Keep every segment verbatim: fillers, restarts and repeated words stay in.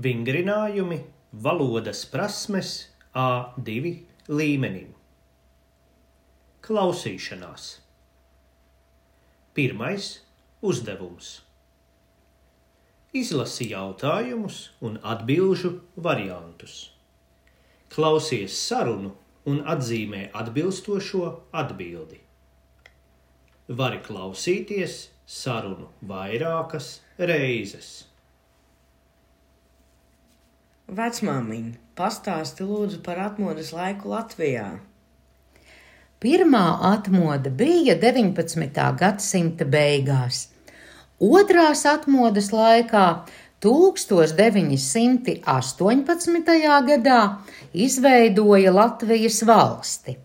Vingrinājumi valodas prasmes A divi līmenim. Klausīšanās. Pirmais uzdevums. Izlasi jautājumus un atbilžu variantus. Klausies sarunu un atzīmē atbilstošo atbildi. Vari klausīties sarunu vairākas reizes. Vecmāmiņ, pastāsti lūdzu par atmodas laiku Latvijā. Pirmā atmoda bija deviņpadsmitā gadsimta beigās. Otrās atmodas laikā tūkstoš deviņi simti astoņpadsmitajā gadā izveidoja Latvijas valsti.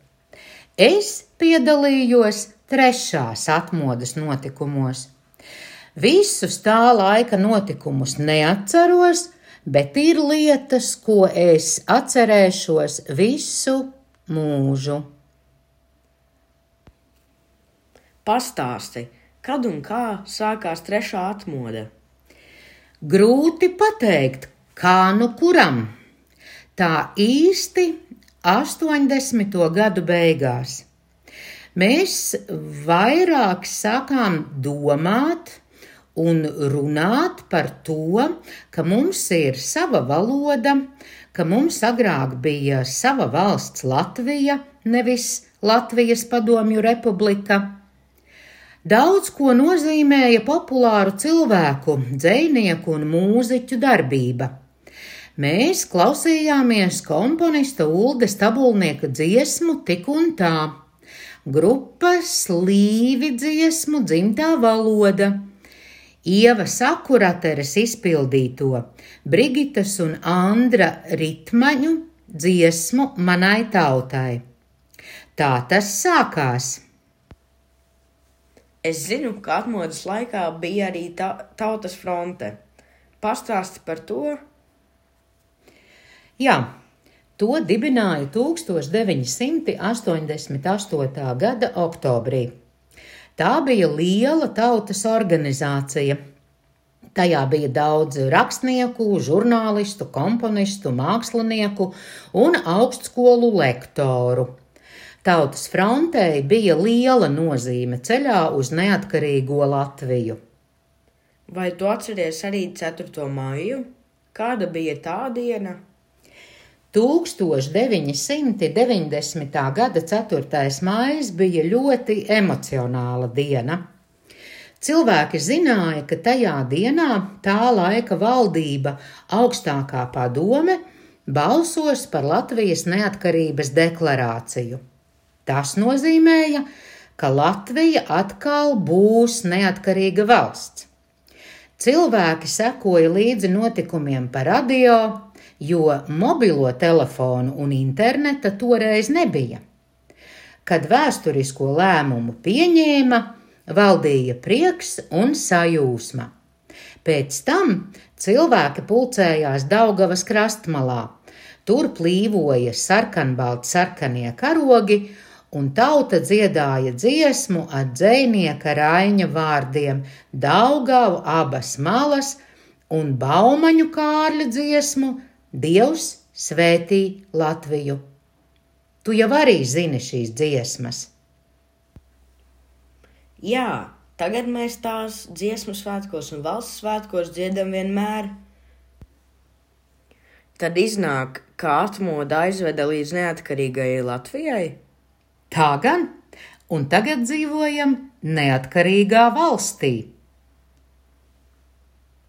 Es piedalījos trešās atmodas notikumos. Visus tā laika notikumus neatceros, bet ir lietas, ko es atcerēšos visu mūžu. Pastāsti, kad un kā sākās trešā atmoda? Grūti pateikt, kā nu kuram. Tā īsti astoņdesmito gadu beigās. Mēs vairāk sākām domāt un runāt par to, ka mums ir sava valoda, ka mums agrāk bija sava valsts Latvija, nevis Latvijas Padomju Republika. Daudz ko nozīmēja populāru cilvēku, dzejnieku un mūziķu darbība. Mēs klausījāmies komponista Uldes Tabulnieka dziesmu Tik un tā, grupas Līvi dziesmu Dzimtā valoda, Ieva Sakurateres izpildīto Brigitas un Andra Ritmaņu dziesmu Manai tautai. Tā tas sākās. Es zinu, ka atmodas laikā bija arī ta- Tautas fronte. Pastāsti par to? Jā, to dibināja tūkstoš deviņi simti astoņdesmit astotā gada oktobrī. Tā bija liela tautas organizācija. Tajā bija daudz rakstnieku, žurnālistu, komponistu, mākslinieku un augstskolu lektoru. Tautas frontei bija liela nozīme ceļā uz neatkarīgo Latviju. Vai tu atceries arī ceturto maiju? Kāda bija tā diena? tūkstoš deviņi simti deviņdesmitā gada ceturtais maijs bija ļoti emocionāla diena. Cilvēki zināja, ka tajā dienā tā laika valdība, augstākā padome, balsos par Latvijas neatkarības deklarāciju. Tas nozīmēja, ka Latvija atkal būs neatkarīga valsts. Cilvēki sekoja līdzi notikumiem pa radio, jo mobilo telefonu un interneta toreiz nebija. Kad vēsturisko lēmumu pieņēma, valdīja prieks un sajūsma. Pēc tam cilvēki pulcējās Daugavas krastmalā. Tur plīvoja sarkanbalti sarkanie karogi, un tauta dziedāja dziesmu ar dzejnieka Raiņa vārdiem Daugavu abas malas un Baumaņu Kārļa dziesmu Dievs svētī Latviju. Tu jau arī zini šīs dziesmas. Jā, tagad mēs tās dziesmu svētkos un valsts svētkos dziedam vienmēr. Tad iznāk, ka atmoda aizveda līdz neatkarīgajai Latvijai? Tā gan, un tagad dzīvojam neatkarīgā valstī.